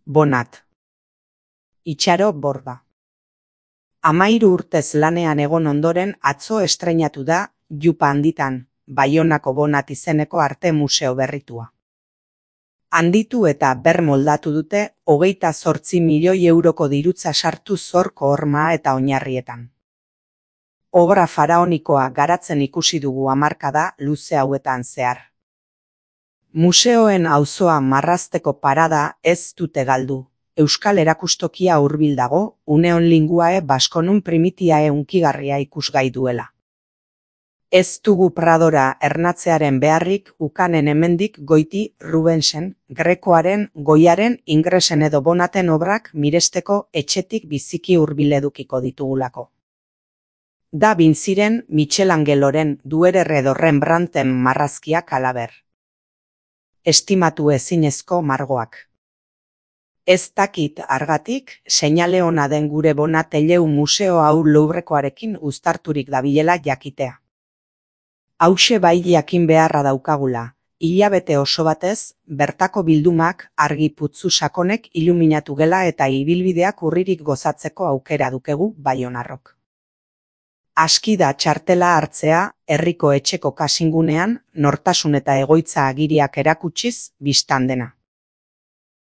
Bonat. Itxaro Borda. 13 urtez lanean egon ondoren atzo estreinatu da Jupa handitan, Baionako Bonat izeneko arte museo berritua. Handitu eta bermoldatu dute 28 milioi euroko dirutza sartu zorko horma eta oinarrietan. Obra faraonikoa garatzen ikusi dugu hamarkada luze hauetan zehar. Museoen auzoa marrazteko parada ez dute galdu. Euskal erakustokia hurbil dago, uneon linguae baskonun primitiae hunkigarria ikusgai duela. Ez dugu Pradora ernatzearen beharrik ukanen hemendik goiti Rubensen, Grekoaren, Goiaren, Ingresen edo Bonaten obrak miresteko etxetik biziki hurbil edukiko ditugulako. Da Vinciren, Michelangeloren, Duerer edo Rembrandten marrazkiak halaber. Estimatu ezinezko margoak. Ez dakit argatik, seinale ona den gure Bonat eleu museo hau Louvrekoarekin uztarturik dabilela jakitea. Hauxe bai jakin beharra daukagula, hilabete oso batez, bertako bildumak argi putzu sakonek iluminatu gela eta ibilbideak urririk gozatzeko aukera dukegu baionarrok. Aski da txartela hartzea, herriko etxeko kasingunean, nortasun eta egoitza agiriak erakutsiz, bistan dena.